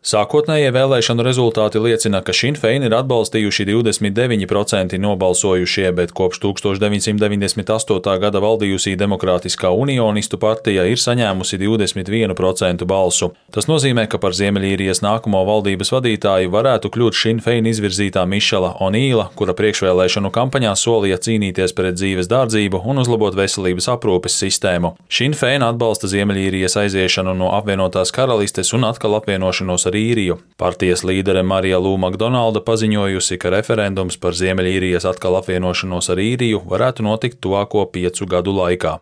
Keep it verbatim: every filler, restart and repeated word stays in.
Sākotnējie vēlēšanu rezultāti liecina, ka Sinn Fein ir atbalstījuši divdesmit deviņi procenti nobalsojušie, bet kopš tūkstoš deviņsimt deviņdesmit astotā gada valdījusī Demokrātiskā unionistu partija ir saņēmusi divdesmit vienu procentu balsu. Tas nozīmē, ka par Ziemeļīrijas nākamo valdības vadītāju varētu kļūt Sinn Fein izvirzītā Mišela Onīla, kura priekšvēlēšanu kampaņā solīja cīnīties pret dzīves dārdzību un uzlabot veselības aprūpes sistēmu. Sinn Fein atbalsta Ziemeļīrijas aiziešanu no apvienotās karalistes un atkal apvienošanos ar Īriju. Partijas līdere Marija Lū Makdonalda paziņojusi, ka referendums par Ziemeļīrijas atkal apvienošanos ar Īriju varētu notikt tuvāko piecu gadu laikā.